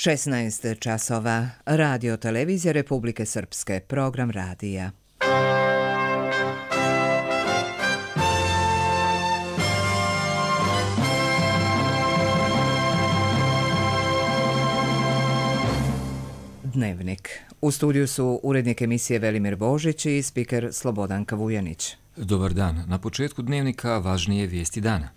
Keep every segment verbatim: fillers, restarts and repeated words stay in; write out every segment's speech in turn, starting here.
šesnaest časova. Radio televizija Republike Srpske. Program radija. Dnevnik. U studiju su urednik emisije Velimir Božić i spiker Slobodanka Vujanić. Dobar dan. Na početku dnevnika važnije vijesti dana.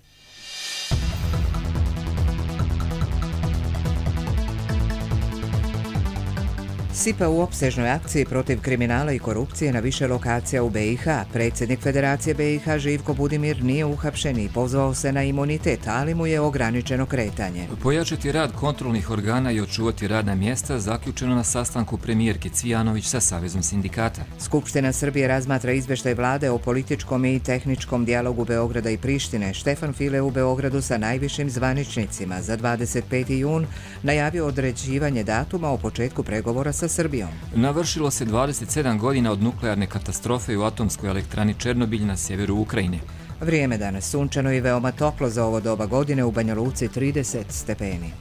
S I P A u opsežnoj akciji protiv kriminala i korupcije na više lokacija u B i H. Predsjednik Federacije B i H Živko Budimir nije uhapšen i pozvao se na imunitet, ali mu je ograničeno kretanje. Pojačati rad kontrolnih organa i očuvati radna mjesta zaključeno na sastanku premijerke Cvijanović sa Savezom sindikata. Skupština Srbije razmatra izvještaj vlade o političkom i tehničkom dijalogu Beograda i Prištine. Štefan File u Beogradu sa najvišim zvaničnicima za dvadeset peti jun najavio određivanje datuma o početku pregovora sa Srbijom. Navršilo se dvadeset sedam godina od nuklearne katastrofe u atomskoj elektrani Černobilj na sjeveru Ukrajine. Vrijeme danas sunčano i veoma toplo za ovo doba godine, u Banja Luci trideset stepeni.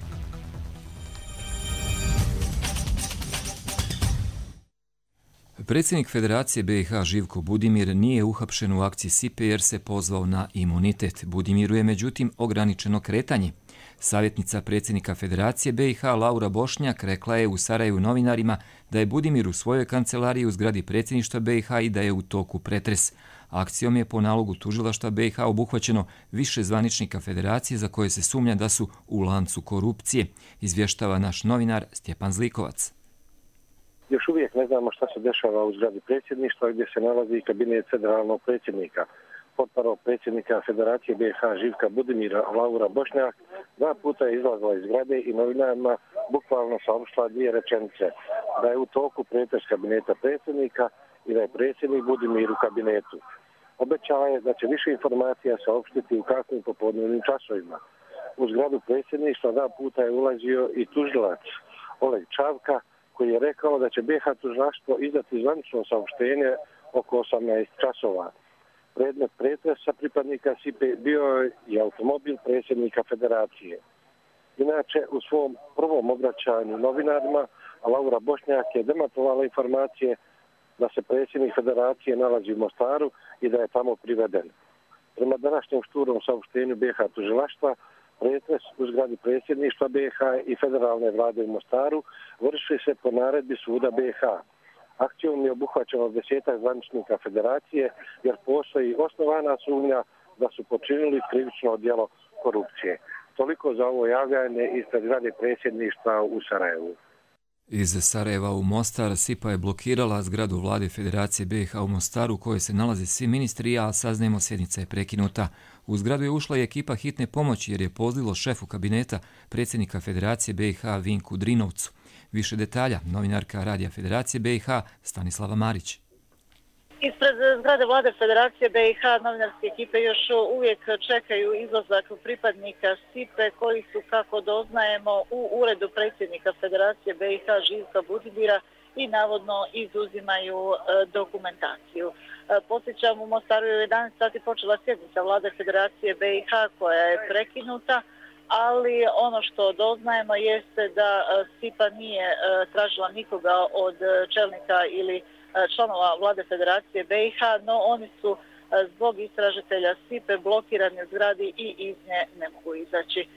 Predsjednik Federacije B i H Živko Budimir nije uhapšen u akciji S I P E jer se pozvao na imunitet. Budimiru je međutim ograničeno kretanje. Savjetnica predsjednika Federacije B i H Laura Bošnjak rekla je u Sarajevu novinarima da je Budimir u svojoj kancelariji u zgradi predsjedništva B i H i da je u toku pretres. Akcijom je po nalogu tužilaštva B i H obuhvaćeno više zvaničnika Federacije za koje se sumnja da su u lancu korupcije, izvještava naš novinar Stjepan Zlikovac. Još uvijek ne znamo šta se dešava u zgradi predsjedništva gdje se nalazi kabinet federalnog predsjednika. Potparov predsjednika Federacije B i H Živka Budimira Laura Bošnjak dva puta je izlazila iz zgrade i novinarima bukvalno saopštila dvije rečenice, da je u toku pretres kabineta predsjednika i da je predsjednik Budimir u kabinetu. Obećala je da će više informacija saopštiti u kasnim popodnevnim časovima. U zgradu predsjedništva dva puta je ulazio i tužilac Oleg Čavka, koji je rekao da će B i H tužilaštvo izdati zvanično saopštenje oko osamnaest časova. Predmet pretresa pripadnika S I P E bio je automobil predsjednika Federacije. Inače, u svom prvom obraćanju novinarima, Laura Bošnjak je demantovala informacije da se predsjednik Federacije nalazi u Mostaru i da je tamo priveden. Prema današnjem šturom saopštenju B i H tužilaštva, pretres u zgradi predsjedništva B i H i federalne vlade u Mostaru vrši se po naredbi suda B i H. Akcijom je obuhvaćeno desetak zvaničnika Federacije jer postoji osnovana sumnja da su počinili krivično djelo korupcije. Toliko za ovo javljanje ispred zgrade predsjedništva u Sarajevu. Iz Sarajeva u Mostar S I P A je blokirala zgradu vlade Federacije B i H u Mostaru u kojoj se nalaze svi ministri, a saznajemo sjednica je prekinuta. U zgradu je ušla i ekipa hitne pomoći jer je pozlilo šefu kabineta predsjednika Federacije B i H Vinku Drinovcu. Više detalja, novinarka Radija Federacije B i H Stanislava Marić. Ispred zgrade vlade Federacije B i H novinarske ekipe još uvijek čekaju izlazak pripadnika S I P E koji su, kako doznajemo, u uredu predsjednika Federacije B i H Živka Budimira i navodno izuzimaju dokumentaciju. Podsjećam, u Mostaru je u jedanaest sati počela sjednica vlade Federacije B i H koja je prekinuta, ali ono što doznajemo jeste da S I P A nije tražila nikoga od čelnika ili članova vlade Federacije B i H, no oni su zbog istražitelja S I P E blokirani u zgradi i iz nje ne mogu izaći.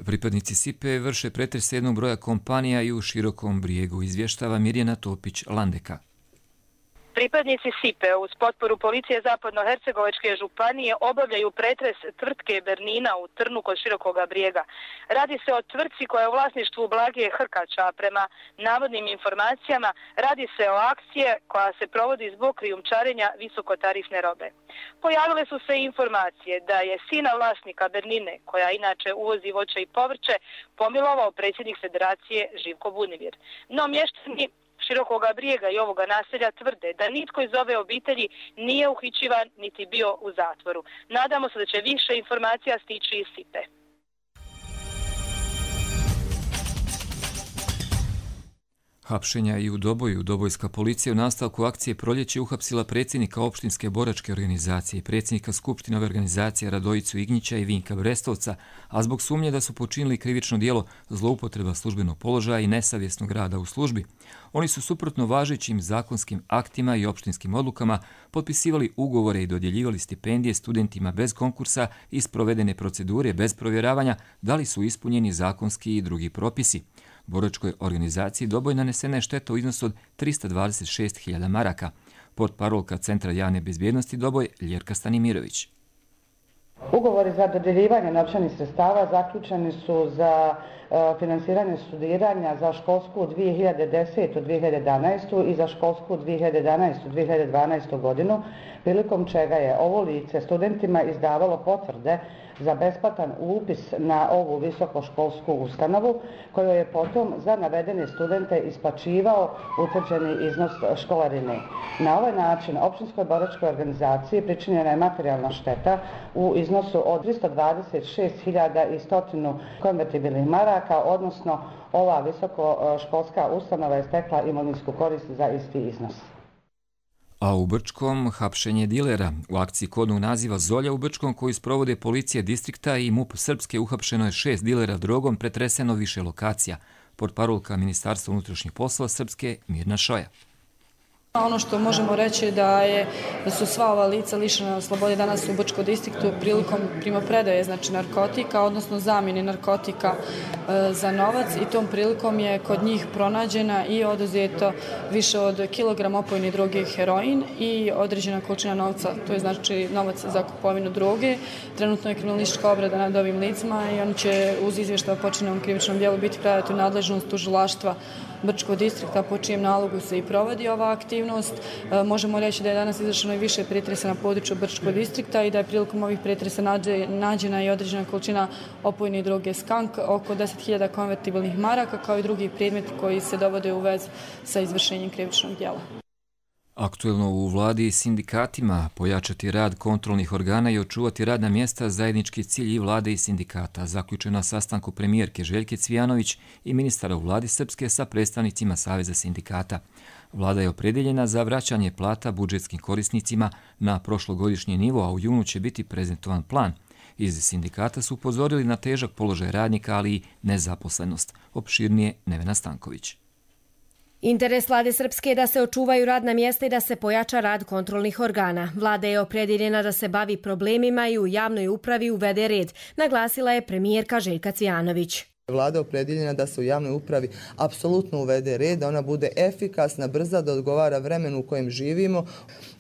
Pripadnici S I P E vrše pretres jednog broja kompanija i u Širokom Brijegu, izvještava Mirjana Topić-Landeka. Pripadnici S I P E uz potporu policije Zapadnohercegovačke županije obavljaju pretres tvrtke Bernina u Trnu kod Širokoga Brijega. Radi se o tvrtci koja je u vlasništvu Blagije Hrkača, a prema navodnim informacijama radi se o akcije koja se provodi zbog krijumčarenja visokotarifne robe. Pojavile su se informacije da je sina vlasnika Bernine, koja inače uvozi voće i povrće, pomilovao predsjednik Federacije Živko Budimir. No mještani Širokoga Brijega i ovoga naselja tvrde da nitko iz ove obitelji nije uhićivan niti bio u zatvoru. Nadamo se da će više informacija stići iz S I P E. Hapšenja i u Doboju. Dobojska policija u nastavku akcije Proljeće uhapsila predsjednika opštinske boračke organizacije i predsjednika skupštinove organizacije Radojicu Ignjića i Vinka Brestovca, a zbog sumnje da su počinili krivično djelo zloupotreba službenog položaja i nesavjesnog rada u službi. Oni su suprotno važećim zakonskim aktima i opštinskim odlukama potpisivali ugovore i dodjeljivali stipendije studentima bez konkursa i sprovedene procedure bez provjeravanja da li su ispunjeni zakonski i drugi propisi. Boračkoj organizaciji Doboj nanesena je šteta u iznosu od trista dvadeset šest hiljada maraka. Portparolka Centra javne bezbjednosti Doboj Ljerka Stanimirović. Ugovori za dodjeljivanje novčanih sredstava zaključeni su za e, finansiranje studiranja za školsku dvije hiljade desete do dvije hiljade jedanaeste. i za školsku dvije hiljade jedanaeste do dvije hiljade dvanaeste. godinu, prilikom čega je ovo lice studentima izdavalo potvrde za besplatan upis na ovu visokoškolsku ustanovu, koju je potom za navedene studente isplaćivao utvrđeni iznos školarine. Na ovaj način opštinskoj boračkoj organizaciji pričinjena je materijalna šteta u iznosu od trista dvadeset šest hiljada sto konvertibilnih maraka, odnosno ova visokoškolska ustanova je stekla imovinsku korist za isti iznos. A u Brčkom hapšenje dilera. U akciji kodnog naziva Zolja u Brčkom koju sprovode policija distrikta i MUP Srpske uhapšeno je šest dilera drogom, pretreseno više lokacija. Portparolka Ministarstva unutrašnjih poslova Srpske Mirna Šoja. Ono što možemo reći da je da su sva ova lica lišena slobode danas u Brčkom distriktu prilikom primopredaje znači narkotika, odnosno zamjene narkotika e, za novac, i tom prilikom je kod njih pronađena i oduzeto više od kilogram opojne droge heroin i određena količina novca, to je znači novac za kupovinu droge. Trenutno je kriminalistička obrada nad ovim licima i oni će uz izvještaj o počinjenom krivičnom djelu biti predati u nadležnost tužilaštva Brčkog distrikta, po čijem nalogu se i provodi ova aktivnost. E, možemo reći da je danas izvršeno i više pretresa na području Brčkog distrikta i da je prilikom ovih pretresa nađe, nađena i određena količina opojne droge skank, oko deset hiljada konvertibilnih maraka, kao i drugi predmeti koji se dovode u vez sa izvršenjem krivičnog djela. Aktuelno u vladi i sindikatima pojačati rad kontrolnih organa i očuvati radna mjesta zajednički cilj i vlade i sindikata, zaključeno na sastanku premijerke Željke Cvijanović i ministara u vladi Srpske sa predstavnicima Saveza sindikata. Vlada je opredjeljena za vraćanje plata budžetskim korisnicima na prošlogodišnji nivo, a u junu će biti prezentovan plan. Iz sindikata su upozorili na težak položaj radnika, ali i nezaposlenost. Opširnije Nevena Stanković. Interes vlade Srpske je da se očuvaju radna mjesta i da se pojača rad kontrolnih organa. Vlada je opredjeljena da se bavi problemima i u javnoj upravi uvede red, naglasila je premijerka Željka Cvijanović. Vlada je opredjeljena da se u javnoj upravi apsolutno uvede red, da ona bude efikasna, brza, da odgovara vremenu u kojem živimo.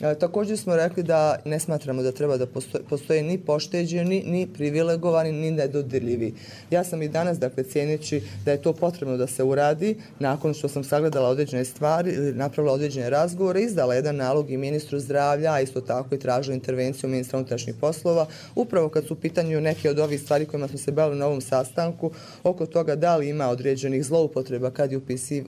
E, također smo rekli da ne smatramo da treba da postoje, postoje ni pošteđeni, ni privilegovani, ni nedodirljivi. Ja sam i danas, dakle, cijeneći da je to potrebno da se uradi, nakon što sam sagledala određene stvari ili napravila određene razgovore, izdala jedan nalog i ministru zdravlja, a isto tako i tražila intervenciju ministra unutrašnjih poslova, upravo kad su u pitanju neke od ovih stvari kojima smo se bavili na ovom sastanku, oko toga da li ima određenih zloupotreba kad je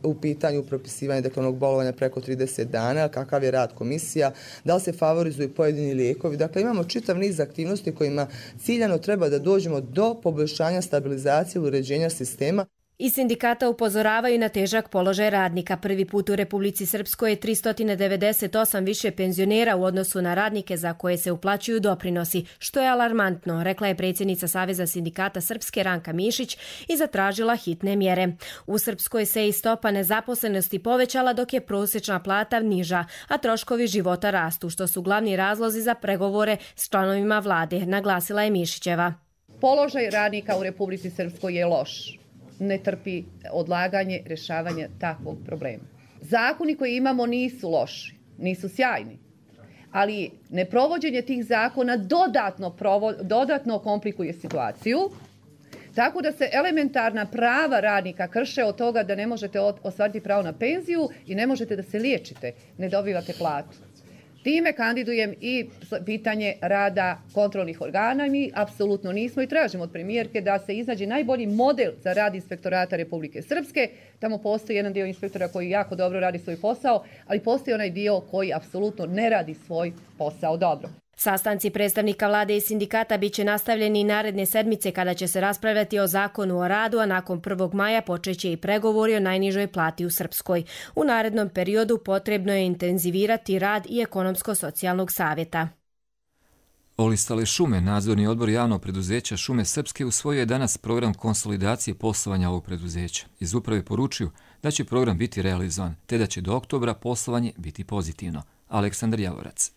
u pitanju propisivanje deklarnog bolovanja preko trideset dana, kakav je rad komisija, da li se favorizuju pojedini lijekovi. Dakle, imamo čitav niz aktivnosti kojima ciljano treba da dođemo do poboljšanja stabilizacije i uređenja sistema. I sindikata upozoravaju na težak položaj radnika. Prvi put u Republici Srpskoj je tristo devedeset osam više penzionera u odnosu na radnike za koje se uplaćuju doprinosi, što je alarmantno, rekla je predsjednica Saveza sindikata Srpske Ranka Mišić i zatražila hitne mjere. U Srpskoj se i stopa nezaposlenosti povećala dok je prosječna plata niža, a troškovi života rastu, što su glavni razlozi za pregovore s članovima vlade, naglasila je Mišićeva. Položaj radnika u Republici Srpskoj je loš. Ne trpi odlaganje rješavanja takvog problema. Zakoni koji imamo nisu loši, nisu sjajni, ali neprovođenje tih zakona dodatno, provo, dodatno komplikuje situaciju, tako da se elementarna prava radnika krše od toga da ne možete ostvariti pravo na penziju i ne možete da se liječite, ne dobivate platu. Time kandidujem i pitanje rada kontrolnih organa. Mi apsolutno nismo i tražimo od premijerke da se iznađe najbolji model za rad inspektorata Republike Srpske. Tamo postoji jedan dio inspektora koji jako dobro radi svoj posao, ali postoji onaj dio koji apsolutno ne radi svoj posao dobro. Sastanci predstavnika vlade i sindikata biće nastavljeni i naredne sedmice kada će se raspravljati o zakonu o radu, a nakon prvog maja počeće i pregovori o najnižoj plati u Srpskoj. U narednom periodu potrebno je intenzivirati rad i ekonomsko-socijalnog savjeta. Olistale šume, nadzorni odbor javnog preduzeća Šume Srpske usvojio je danas program konsolidacije poslovanja ovog preduzeća. Iz uprave poručuju da će program biti realizovan, te da će do oktobra poslovanje biti pozitivno. Aleksandar Javorac.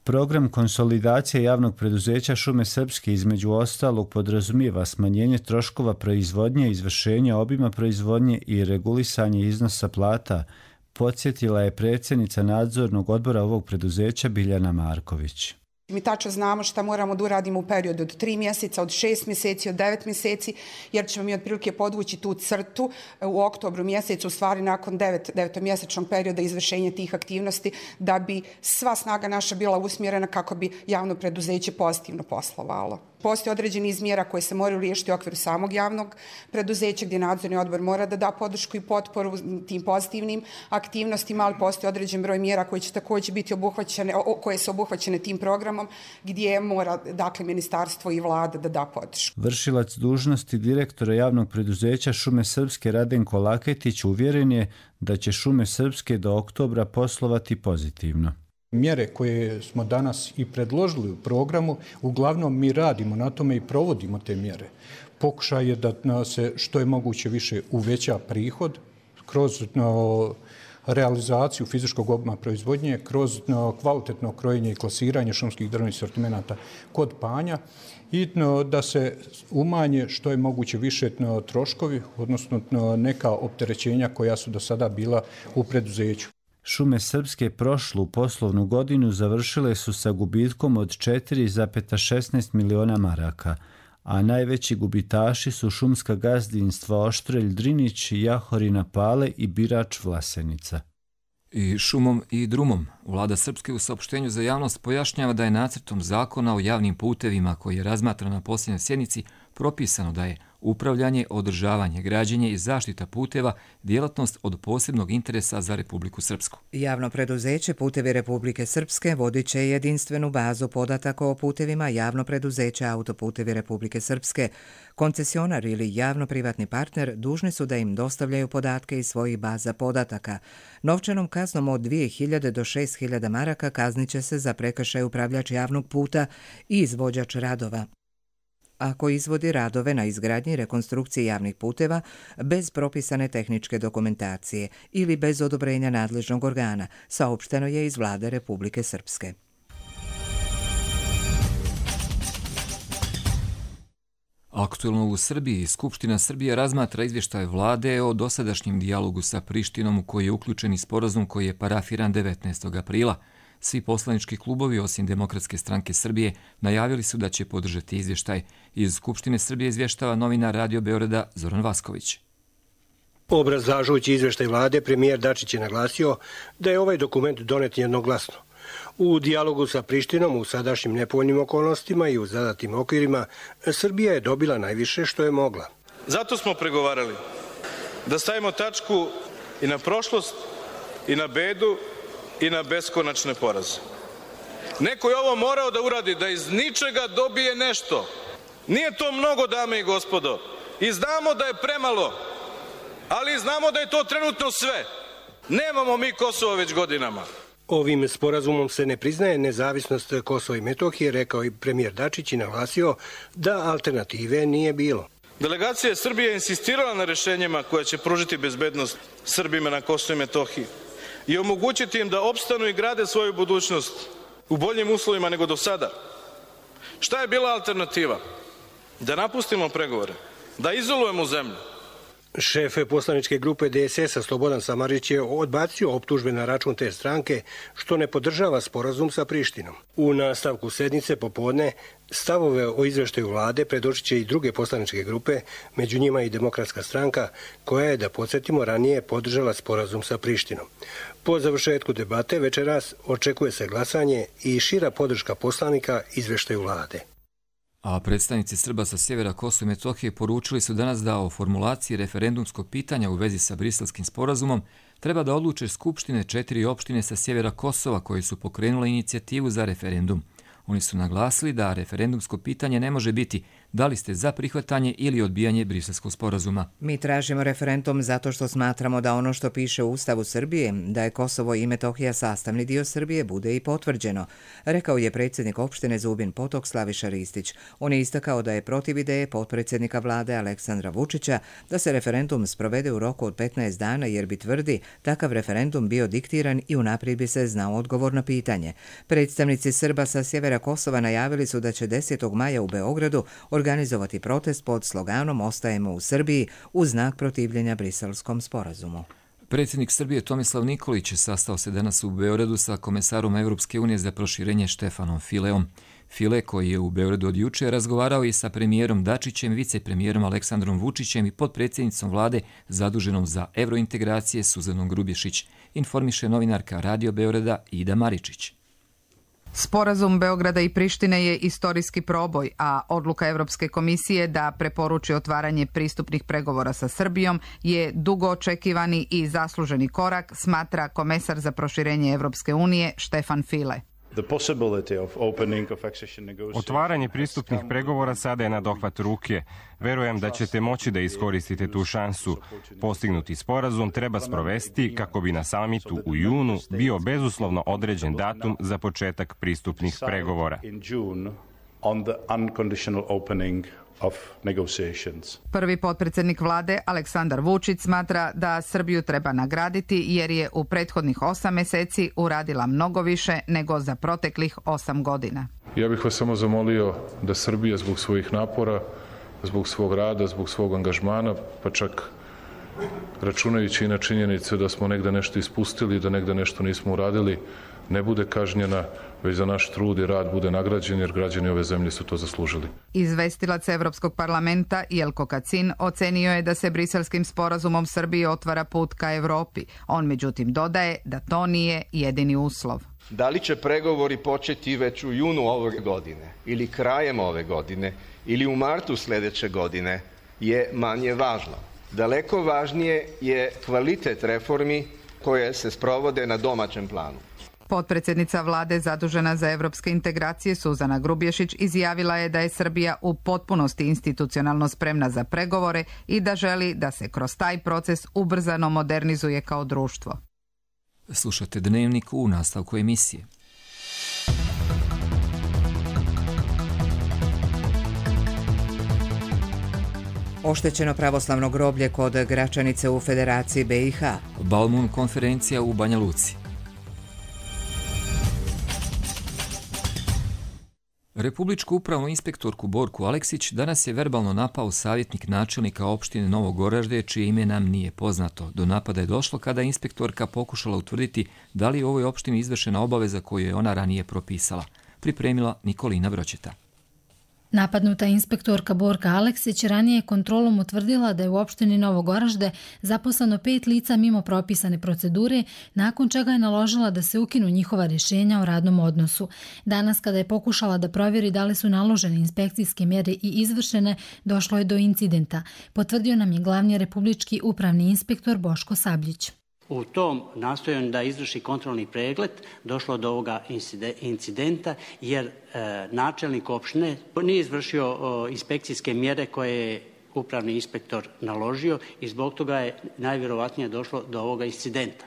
Program konsolidacije javnog preduzeća Šume Srpske između ostalog podrazumijeva smanjenje troškova proizvodnje, izvršenje obima proizvodnje i regulisanje iznosa plata, podsjetila je predsjednica nadzornog odbora ovog preduzeća Biljana Marković. Mi tačno znamo šta moramo da uradimo u periodu od tri mjeseca, od šest mjeseci, od devet mjeseci, jer ćemo mi otprilike podvući tu crtu u oktobru mjesecu, u stvari nakon devet, devetomjesečnog perioda izvršenja tih aktivnosti, da bi sva snaga naša bila usmjerena kako bi javno preduzeće pozitivno poslovalo. Postoje određeni izmjera koje se moraju riješiti u okviru samog javnog preduzeća, gdje nadzorni odbor mora da da podršku i potporu tim pozitivnim aktivnostima, ali postoje određen broj mjera koje će također biti obuhvaćene, koje su obuhvaćene tim programom, gdje mora, dakle, ministarstvo i vlada da da podršku. Vršilac dužnosti direktora javnog preduzeća Šume Srpske Radenko Laketić uvjeren je da će Šume Srpske do oktobra poslovati pozitivno. Mjere koje smo danas i predložili u programu, uglavnom mi radimo na tome i provodimo te mjere. Pokušaj je da se što je moguće više uveća prihod kroz no, realizaciju fizičkog obima proizvodnje, kroz no, kvalitetno krojenje i klasiranje šumskih drvnih sortimenata kod panja i no, da se umanje što je moguće više no, troškovi, odnosno no, neka opterećenja koja su do sada bila u preduzeću. Šume Srpske prošlu poslovnu godinu završile su sa gubitkom od četiri zarez šesnaest miliona maraka, a najveći gubitaši su šumska gazdinstva Oštrelj Drinić, Jahorina Pale i Birač Vlasenica. I šumom i drumom. Vlada Srpske u saopštenju za javnost pojašnjava da je nacrtom zakona o javnim putevima koji je razmatran na posljednjoj sjednici propisano da je upravljanje, održavanje, građenje i zaštita puteva djelatnost od posebnog interesa za Republiku Srpsku. Javno preduzeće Putevi Republike Srpske vodit će jedinstvenu bazu podataka o putevima javno preduzeće Autoputevi Republike Srpske. Koncesionar ili javno-privatni partner dužni su da im dostavljaju podatke iz svojih baza podataka. Novčanom kaznom od dvije hiljade do šest hiljada maraka kazniće se za prekršaj upravljač javnog puta i izvođač radova ako izvodi radove na izgradnji i rekonstrukciji javnih puteva bez propisane tehničke dokumentacije ili bez odobrenja nadležnog organa, saopšteno je iz Vlade Republike Srpske. Aktuelno u Srbiji, Skupština Srbije razmatra izvještaj vlade o dosadašnjem dijalogu sa Prištinom u koji je uključen i sporazum koji je parafiran devetnaestog aprila. Svi poslanički klubovi, osim Demokratske stranke Srbije, najavili su da će podržati izvještaj. Iz Skupštine Srbije izvještava novinar Radio Beograda Zoran Vasković. Obrazlažujući izvještaj vlade, premijer Dačić je naglasio da je ovaj dokument donet jednoglasno. U dijalogu sa Prištinom u sadašnjim nepovoljnim okolnostima i u zadatim okvirima, Srbija je dobila najviše što je mogla. Zato smo pregovarali da stavimo tačku i na prošlost, i na bedu, i na beskonačne poraze. Neko je ovo morao da uradi, da iz ničega dobije nešto. Nije to mnogo, dame i gospodo. I znamo da je premalo, ali znamo da je to trenutno sve. Nemamo mi Kosovo već godinama. Ovim sporazumom se ne priznaje nezavisnost Kosova i Metohije, rekao i premijer Dačić i naglasio da alternative nije bilo. Delegacija Srbije je insistirala na rešenjima koja će pružiti bezbednost Srbima na Kosovu i Metohiji i omogućiti im da opstanu i grade svoju budućnost u boljim uslovima nego do sada. Šta je bila alternativa? Da napustimo pregovore, da izolujemo zemlju. Šef poslaničke grupe D S S-a Slobodan Samardžić je odbacio optužbe na račun te stranke što ne podržava sporazum sa Prištinom. U nastavku sednice popodne stavove o izveštaju vlade predočit će i druge poslaničke grupe, među njima i Demokratska stranka, koja je, da podsjetimo, ranije podržala sporazum sa Prištinom. Po završetku debate večeras očekuje se glasanje i šira podrška poslanika izveštaju vlade. A predstavnici Srba sa sjevera Kosova i Metohije poručili su danas da o formulaciji referendumskog pitanja u vezi sa Briselskim sporazumom treba da odluče skupštine četiri opštine sa sjevera Kosova koje su pokrenule inicijativu za referendum. Oni su naglasili da referendumsko pitanje ne može biti da li ste za prihvatanje ili odbijanje Briselskog sporazuma. Mi tražimo referendum zato što smatramo da ono što piše u Ustavu Srbije, da je Kosovo i Metohija sastavni dio Srbije, bude i potvrđeno, rekao je predsjednik opštine Zubin Potok Slaviša Ristić. On je istakao da je protiv ideje potpredsjednika vlade Aleksandra Vučića da se referendum sprovede u roku od petnaest dana jer bi, tvrdi, takav referendum bio diktiran i unaprijed bi se znao odgovor na pitanje. Predstavnici Srba sa sjevera Kosova najavili su da će desetog maja u Beogradu organizovati protest pod sloganom Ostajemo u Srbiji u znak protivljenja Briselskom sporazumu. Predsjednik Srbije Tomislav Nikolić sastao se danas u Beogradu sa komesarom Evropske unije za proširenje Štefanom Fileom. File, koji je u Beogradu od juče, razgovarao i sa premijerom Dačićem, vicepremijerom Aleksandrom Vučićem i potpredsjednicom vlade zaduženom za evrointegracije Suzanom Grubješić, informiše novinarka Radio Beograda Ida Maričić. Sporazum Beograda i Prištine je istorijski proboj, a odluka Evropske komisije da preporuči otvaranje pristupnih pregovora sa Srbijom je dugo očekivani i zasluženi korak, smatra komesar za proširenje Evropske unije Štefan File. Otvaranje pristupnih pregovora sada je na dohvat ruke. Verujem da ćete moći da iskoristite tu šansu. Postignuti sporazum treba sprovesti kako bi na samitu u junu bio bezuslovno određen datum za početak pristupnih pregovora. Prvi potpredsjednik vlade Aleksandar Vučić smatra da Srbiju treba nagraditi jer je u prethodnih osam mjeseci uradila mnogo više nego za proteklih osam godina. Ja bih vas samo zamolio da Srbija zbog svojih napora, zbog svog rada, zbog svog angažmana, pa čak računajući i na činjenicu da smo negde nešto ispustili, da negde nešto nismo uradili, ne bude kažnjena, već za naš trud i rad bude nagrađen, jer građani ove zemlje su to zaslužili. Izvestilac Evropskog parlamenta Jelko Kacin ocenio je da se Briselskim sporazumom Srbiji otvara put ka Evropi. On međutim dodaje da to nije jedini uslov. Da li će pregovori početi već u junu ove godine ili krajem ove godine ili u martu sljedeće godine je manje važno. Daleko važnije je kvalitet reformi koje se sprovode na domaćem planu. Potpredsjednica vlade zadužena za evropske integracije Suzana Grubješić izjavila je da je Srbija u potpunosti institucionalno spremna za pregovore i da želi da se kroz taj proces ubrzano modernizuje kao društvo. Slušate Dnevnik u nastavku emisije. Oštećeno pravoslavno groblje kod Gračanice u Federaciji B i H. Balmun konferencija u Banja Luci. Republičku upravnu inspektorku Borku Aleksić danas je verbalno napao savjetnik načelnika opštine Novo Goražde, čije ime nam nije poznato. Do napada je došlo kada je inspektorka pokušala utvrditi da li je u ovoj opštini izvršena obaveza koju je ona ranije propisala. Pripremila Nikolina Broćeta. Napadnuta inspektorka Borka Aleksić ranije je kontrolom utvrdila da je u opštini Novo Goražde zaposleno pet lica mimo propisane procedure, nakon čega je naložila da se ukinu njihova rješenja o radnom odnosu. Danas, kada je pokušala da provjeri da li su naložene inspekcijske mjere i izvršene, došlo je do incidenta, potvrdio nam je glavni republički upravni inspektor Boško Sabljić. U tom nastojanju da izvrši kontrolni pregled došlo do ovoga incidenta jer e, načelnik opštine nije izvršio o, inspekcijske mjere koje je upravni inspektor naložio i zbog toga je najvjerovatnije došlo do ovoga incidenta.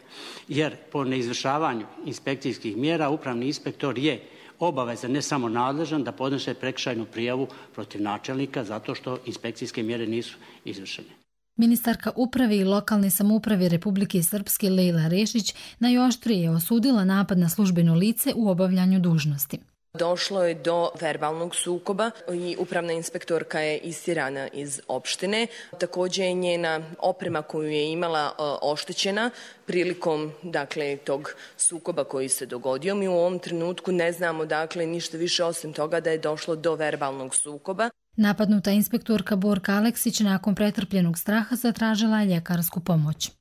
Jer po neizvršavanju inspekcijskih mjera upravni inspektor je obavezan, ne samo nadležan, da podnese prekršajnu prijavu protiv načelnika zato što inspekcijske mjere nisu izvršene. Ministarka uprave i lokalne samouprave Republike Srpske Lejla Rešić najoštrije je osudila napad na službeno lice u obavljanju dužnosti. Došlo je do verbalnog sukoba i upravna inspektorka je istirana iz opštine. Također je njena oprema koju je imala oštećena prilikom dakle, tog sukoba koji se dogodio. Mi u ovom trenutku ne znamo dakle, ništa više osim toga da je došlo do verbalnog sukoba. Napadnuta inspektorka Borka Aleksić nakon pretrpljenog straha zatražila je ljekarsku pomoć.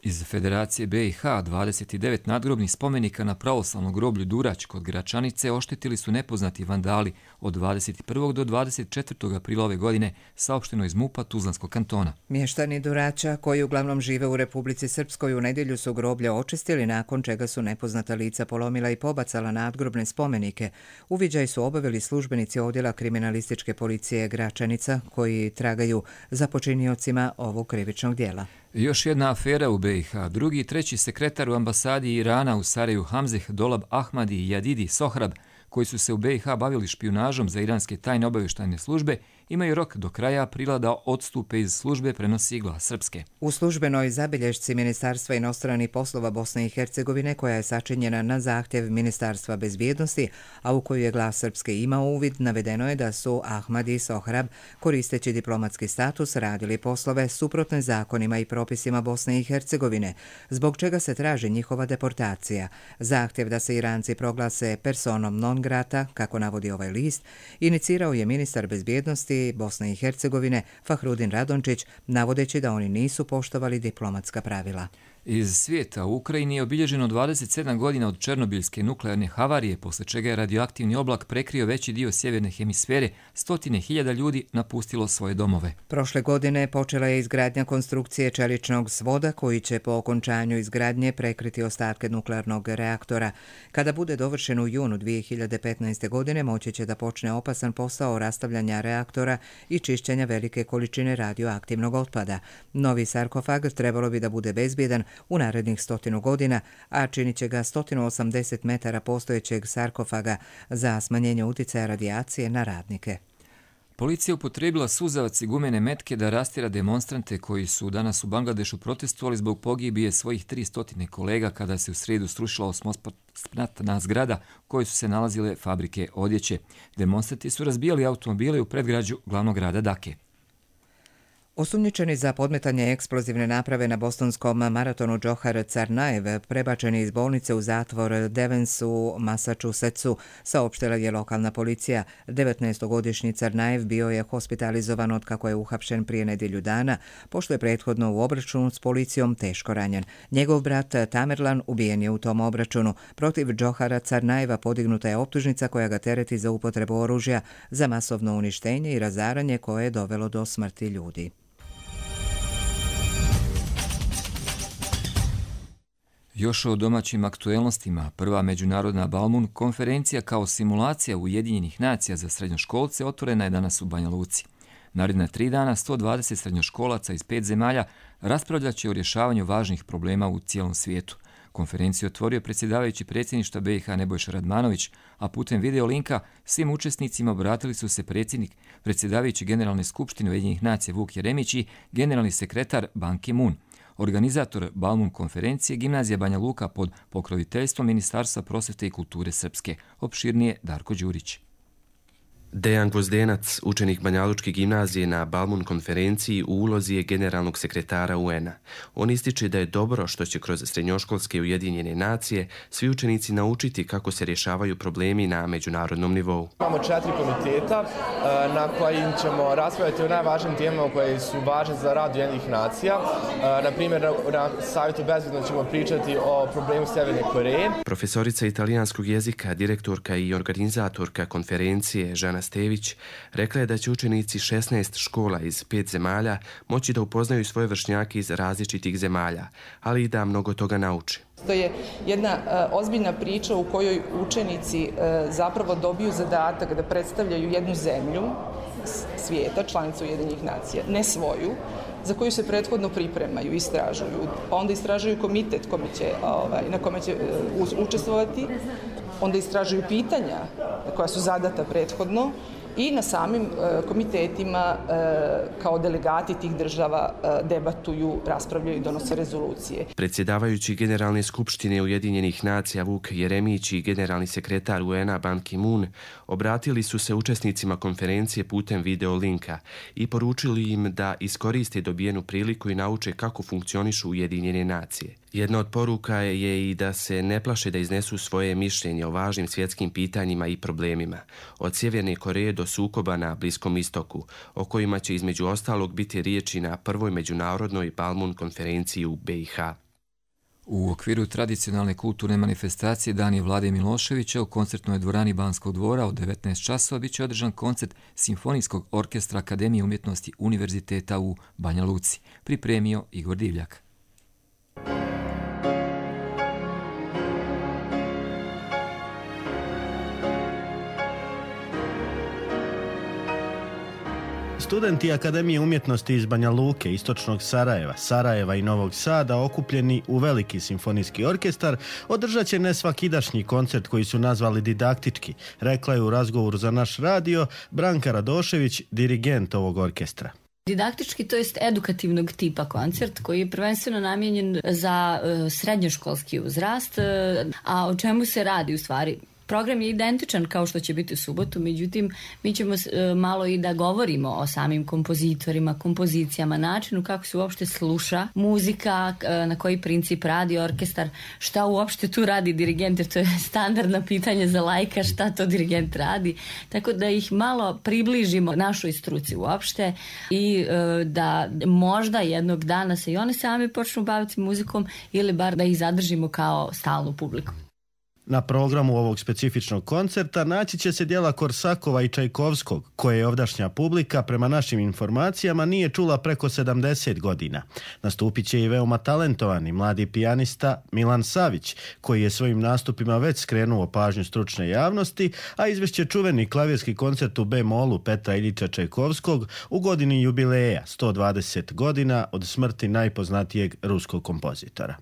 Iz Federacije B i H dvadeset devet nadgrobnih spomenika na pravoslavnom groblju Durać kod Gračanice oštetili su nepoznati vandali od dvadeset prvog do dvadeset četvrtog aprila ove godine, saopšteno iz MUP-a Tuzlanskog kantona. Mještani Duraća, koji uglavnom žive u Republici Srpskoj, u nedjelju su groblja očistili, nakon čega su nepoznata lica polomila i pobacala nadgrobne spomenike. Uviđaj su obavili službenici odjela kriminalističke policije Gračanica, koji tragaju za počiniocima ovog krivičnog dijela. Još jedna afera u B i H. Drugi i treći sekretar u ambasadi Irana u Sarajevu Hamzeh Dolab Ahmadi i Jadidi Sohrab, koji su se u B i H bavili špijunažom za iranske tajne obavještajne službe, imaju rok do kraja aprila da odstupe iz službe, prenosi Glas Srpske. U službenoj zabilješci Ministarstva inostranih poslova Bosne i Hercegovine, koja je sačinjena na zahtjev Ministarstva bezbjednosti, a u koju je Glas Srpske imao uvid, navedeno je da su Ahmadi i Sohrab, koristeći diplomatski status, radili poslove suprotne zakonima i propisima Bosne i Hercegovine, zbog čega se traži njihova deportacija. Zahtjev da se Iranci proglase personom non grata, kako navodi ovaj list, inicirao je ministar bezbjednosti Bosne i Hercegovine Fahrudin Radončić, navodeći da oni nisu poštovali diplomatska pravila. Iz svijeta u Ukrajini je obilježeno dvadeset sedam godina od černobiljske nuklearne havarije, posle čega je radioaktivni oblak prekrio veći dio sjeverne hemisfere, stotine hiljada ljudi napustilo svoje domove. Prošle godine počela je izgradnja konstrukcije čeličnog svoda koji će po okončanju izgradnje prekriti ostatke nuklearnog reaktora. Kada bude dovršen u junu dvije hiljade petnaeste. godine, moći će da počne opasan posao rastavljanja reaktora i čišćenja velike količine radioaktivnog otpada. Novi sarkofag trebalo bi da bude bezbjedan u narednih stotinu godina, a činit će ga sto osamdeset metara postojećeg sarkofaga za smanjenje uticaja radijacije na radnike. Policija upotrijebila suzavac i gumene metke da rastjera demonstrante koji su danas u Bangladešu protestovali zbog pogibije svojih tristo kolega kada se u srijedu srušila osmospratna zgrada u kojoj su se nalazile fabrike odjeće. Demonstranti su razbijali automobile u predgrađu glavnog grada Dake. Osumnjičeni za podmetanje eksplozivne naprave na bostonskom maratonu Džohar Carnaev prebačeni iz bolnice u zatvor Devens u Massachusettsu, saopštila je lokalna policija. devetnaestogodišnji Carnaev bio je hospitalizovan od kako je uhapšen prije nedjelju dana, pošto je prethodno u obračunu s policijom teško ranjen. Njegov brat Tamerlan ubijen je u tom obračunu. Protiv Džohara Carnaeva podignuta je optužnica koja ga tereti za upotrebu oružja za masovno uništenje i razaranje koje je dovelo do smrti ljudi. Još o domaćim aktuelnostima, prva međunarodna Balmun konferencija kao simulacija Ujedinjenih nacija za srednjoškolce otvorena je danas u Banja Luci. Naredna tri dana sto dvadeset srednjoškolaca iz pet zemalja raspravljat će o rješavanju važnih problema u cijelom svijetu. Konferenciju otvorio predsjedavajući predsjedništva B i H Nebojša Radmanović, a putem video linka svim učesnicima obratili su se predsjednik, predsjedavajući Generalne skupštine Ujedinjenih nacija Vuk Jeremić i generalni sekretar Ban Ki-moon. Organizator Balmun konferencije Gimnazija Banja Luka pod pokroviteljstvom Ministarstva prosvjete i kulture Srpske. Opširnije Darko Đurić. Dejan Gvozdenac, učenik Banjalučke gimnazije na Balmun konferenciji, u ulozi je generalnog sekretara U N-a. On ističe da je dobro što će kroz srednjoškolske Ujedinjene nacije svi učenici naučiti kako se rješavaju problemi na međunarodnom nivou. Imamo četiri komiteta na kojim ćemo raspravljati o najvažnijim temama koje su važne za rad Ujedinjenih nacija. Na primjer, na savjetu bezbednosti ćemo pričati o problemu Sjeverne Koreje. Profesorica italijanskog jezika, direktorka i organizatorka konferencije Žana Stević rekla je da će učenici šesnaest škola iz pet zemalja moći da upoznaju svoje vršnjake iz različitih zemalja, ali i da mnogo toga nauče. To je jedna uh, ozbiljna priča u kojoj učenici uh, zapravo dobiju zadatak da predstavljaju jednu zemlju svijeta, članicu Ujedinjenih nacija, ne svoju, za koju se prethodno pripremaju, istražuju, pa onda istražuju komitet kome će, ovaj, na kome će uh, učestvovati, onda istražuju pitanja koja su zadata prethodno i na samim uh, komitetima uh, kao delegati tih država uh, debatuju, raspravljaju i donose rezolucije. Predsjedavajući Generalne skupštine Ujedinjenih nacija Vuk Jeremić i generalni sekretar U N-a Ban Ki-moon obratili su se učesnicima konferencije putem video linka i poručili im da iskoriste dobijenu priliku i nauče kako funkcionišu Ujedinjene nacije. Jedna od poruka je i da se ne plaše da iznesu svoje mišljenje o važnim svjetskim pitanjima i problemima, od Sjeverne Koreje do do sukoba na Bliskom istoku, o kojima će između ostalog biti riječi na prvoj međunarodnoj Balmun konferenciji u B i H. U okviru tradicionalne kulturne manifestacije Dani Vlade Miloševića u koncertnoj dvorani Banskog dvora od devetnaest časova bit će održan koncert Simfonijskog orkestra Akademije umjetnosti Univerziteta u Banja Luci, pripremio Igor Divljak. Studenti Akademije umjetnosti iz Banja Luke, Istočnog Sarajeva, Sarajeva i Novog Sada, okupljeni u veliki simfonijski orkestar, održat će nesvakidašnji koncert koji su nazvali didaktički, rekla je u razgovoru za naš radio Branka Radošević, dirigent ovog orkestra. Didaktički, to jest edukativnog tipa koncert koji je prvenstveno namijenjen za uh, srednjoškolski uzrast, uh, a o čemu se radi u stvari? Program je identičan kao što će biti u subotu, međutim mi ćemo uh, malo i da govorimo o samim kompozitorima, kompozicijama, načinu kako se uopšte sluša muzika, uh, na koji princip radi orkestar, šta uopšte tu radi dirigent, jer to je standardno pitanje za laika, šta to dirigent radi, tako da ih malo približimo našoj struci uopšte i uh, da možda jednog dana se i oni sami počnu baviti muzikom ili bar da ih zadržimo kao stalnu publiku. Na programu ovog specifičnog koncerta naći će se djela Korsakova i Čajkovskog, koje je ovdašnja publika, prema našim informacijama, nije čula preko sedamdeset godina. Nastupit će i veoma talentovani mladi pijanista Milan Savić, koji je svojim nastupima već skrenuo pažnju stručne javnosti, a izvešće čuveni klavirski koncert u B-molu Petra Iljiča Čajkovskog u godini jubileja sto dvadeset godina od smrti najpoznatijeg ruskog kompozitora.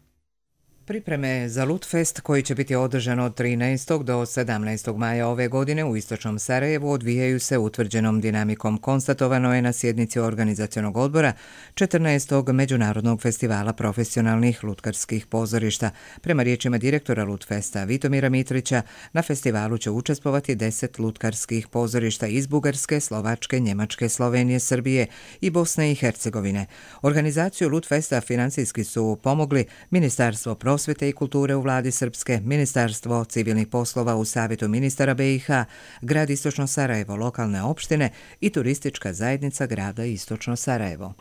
Pripreme za Lutfest, koji će biti održan od trinaestog do sedamnaestog maja ove godine u Istočnom Sarajevu, odvijaju se utvrđenom dinamikom. Konstatovano je na sjednici organizacionog odbora četrnaestog Međunarodnog festivala profesionalnih lutkarskih pozorišta. Prema riječima direktora Lutfesta Vitomira Mitrića, na festivalu će učestvovati deset lutkarskih pozorišta iz Bugarske, Slovačke, Njemačke, Slovenije, Srbije i Bosne i Hercegovine. Organizaciju Lutfesta financijski su pomogli Ministarstvo prosvete i kulture u vladi Srpske, Ministarstvo civilnih poslova u Savjetu ministara B i H, grad Istočno Sarajevo, lokalne opštine i turistička zajednica grada Istočno Sarajevo.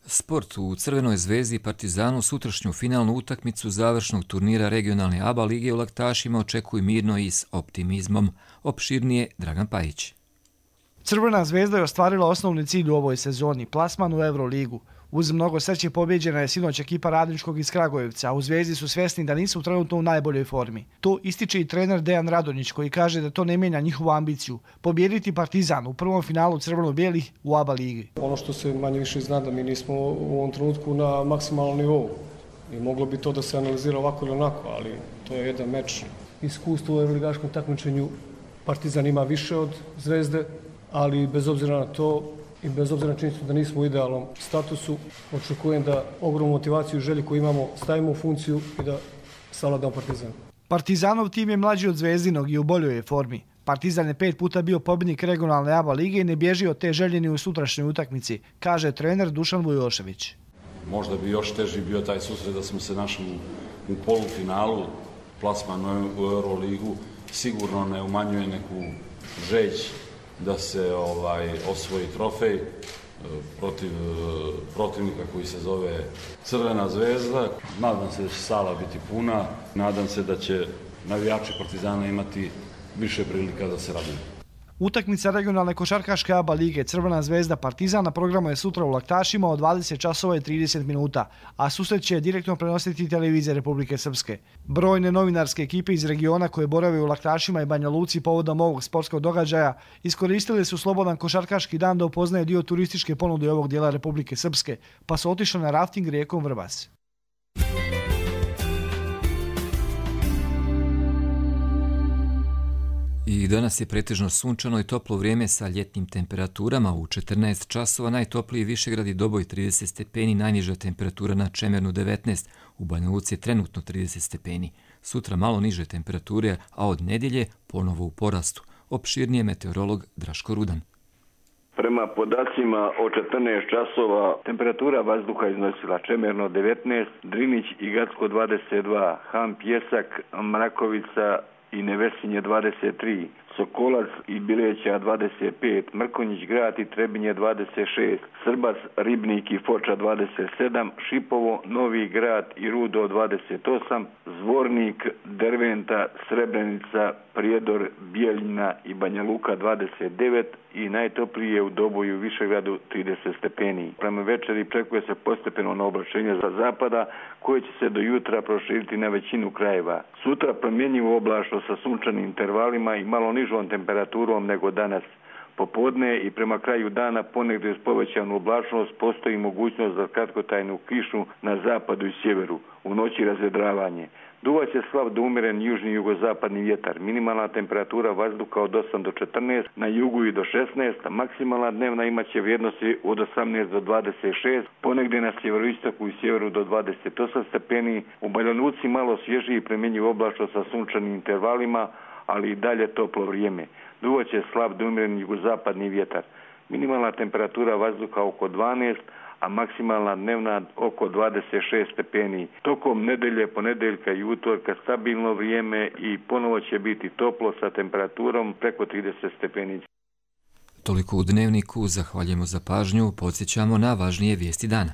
Sport. U Crvenoj zvezdi i Partizanu sutrašnju finalnu utakmicu završnog turnira regionalne A B A lige u Laktašima očekuju mirno i s optimizmom. Opširnije Dragan Pajić. Crvena zvezda je ostvarila osnovni cilj u ovoj sezoni, plasman u Euroligu. Uz mnogo sreće pobjeđena je sinoć ekipa Radničkog iz Kragujevca, a u Zvezdi su svjesni da nisu trenutno u najboljoj formi. To ističe i trener Dejan Radonjić, koji kaže da to ne mijenja njihovu ambiciju – pobijediti Partizan u prvom finalu crveno-bijelih u A B A ligi. Ono što se manje više zna da mi nismo u ovom trenutku na maksimalnom nivou. I moglo bi to da se analizira ovako ili onako, ali to je jedan meč. Iskustvo u euroligaškom takmičenju Partizan ima više od Zvezde, ali bez obzira na to i bez obzira na činjenicu da nismo u idealnom statusu, očekujem da ogromnu motivaciju i želju koju imamo stavimo u funkciju i da savladamo Partizan. Partizanov tim je mlađi od Zvezdinog i u boljoj je formi. Partizan je pet puta bio pobjednik regionalne A B A lige i ne bježi od te željeni u sutrašnjoj utakmici, kaže trener Dušan Vujošević. Možda bi još teži bio taj susret da smo se našli u polufinalu, plasman u Euroligu, sigurno ne umanjuje neku žeđ da se ovaj osvoji trofej protiv protivnika koji se zove Crvena zvezda. Nadam se da će sala biti puna, nadam se da će navijači Partizana imati više prilika da se raduju. Utakmica regionalne košarkaške A B A lige Crvena zvezda Partizan na programu je sutra u Laktašima od dvadeset časova i trideset minuta, a susret će direktno prenositi televizija Republike Srpske. Brojne novinarske ekipe iz regiona koje borave u Laktašima i Banja Luci povodom ovog sportskog događaja iskoristili su slobodan košarkaški dan da upoznaju dio turističke ponude ovog dijela Republike Srpske, pa su otišli na rafting rijekom Vrbas. I danas je pretežno sunčano i toplo vrijeme sa ljetnim temperaturama. U četrnaest časova najtopliji Višegrad i Doboj trideset stepeni, najniža temperatura na Čemernu devetnaest, u Banja Luci je trenutno trideset stepeni. Sutra malo niže temperature, a od nedjelje ponovo u porastu. Opširnije meteorolog Draško Rudan. Prema podacima o četrnaest časova temperatura vazduha iznosila Čemerno devetnaest, Drinić i Gacko dvadeset dva, Han, Pjesak, Mrakovica i Nevesinje dvadeset tri, Sokolac i Bileća dvadeset pet, Mrkonjić Grad i Trebinje dvadeset šest, Srbac, Ribnik i Foča dvadeset sedam, Šipovo, Novi Grad i Rudo dvadeset osam, Zvornik, Derventa, Srebrenica, Prijedor, Bijeljina i Banja Luka dvadeset devet i najtoplije u Doboju i Višegradu trideset stepeni. Prema večeri očekuje se postepeno oblačenje za zapada koje će se do jutra proširiti na većinu krajeva. Sutra promjenjivo oblačno sa sunčanim intervalima i malo nižom temperaturom nego danas. Popodne i prema kraju dana ponegdje uz povećanu oblačnost postoji mogućnost za kratkotrajnu kišu na zapadu i sjeveru. U noći razvedravanje. Duvat će slab do umjeren južni jugozapadni vjetar. Minimalna temperatura vazduha od osam do četrnaest, na jugu i do šesnaest, a maksimalna dnevna imaće vrijednosti od osamnaest do dvadeset šest, ponegdje na sjeveroistoku i sjeveru do dvadeset osam stepeni. U Banja Luci malo svježiji premjenjiv oblačno sa sunčanim intervalima, ali i dalje toplo vrijeme. Duvat će slab do umjeren jugozapadni vjetar. Minimalna temperatura vazduha oko dvanaest, a maksimalna dnevna oko dvadeset šest stepeni. Tokom nedelje, ponedeljka i utorka stabilno vrijeme i ponovo će biti toplo sa temperaturom preko trideset stepeni. Toliko u Dnevniku, zahvaljujemo za pažnju, podsjećamo na važnije vijesti dana.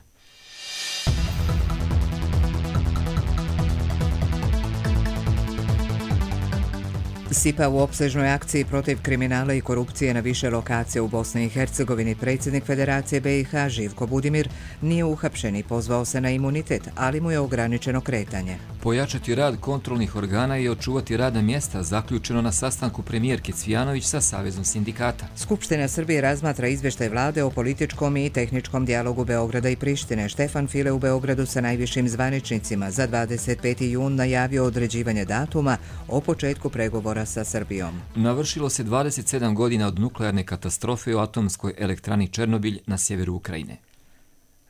S I P A u opsežnoj akciji protiv kriminala i korupcije na više lokacija u Bosni i Hercegovini predsjednik Federacije B i H Živko Budimir nije uhapšen i pozvao se na imunitet, ali mu je ograničeno kretanje. Pojačati rad kontrolnih organa i očuvati radna mjesta zaključeno na sastanku premijerke Cvijanović sa Savezom sindikata. Skupština Srbije razmatra izvještaj vlade o političkom i tehničkom dijalogu Beograda i Prištine. Štefan File u Beogradu sa najvišim zvaničnicima za dvadeset peti jun najavio određivanje datuma o početku pregovora sa Srbijom. Navršilo se dvadeset sedam godina od nuklearne katastrofe u atomskoj elektrani Černobilj na sjeveru Ukrajine.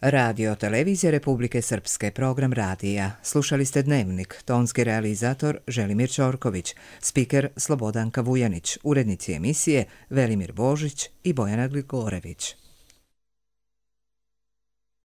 Radio Televizija Republike Srpske, program radija. Slušali ste Dnevnik, tonski realizator Želimir Ćorković, spiker Slobodanka Vujanić, urednici emisije Velimir Božić i Bojana Gligorević.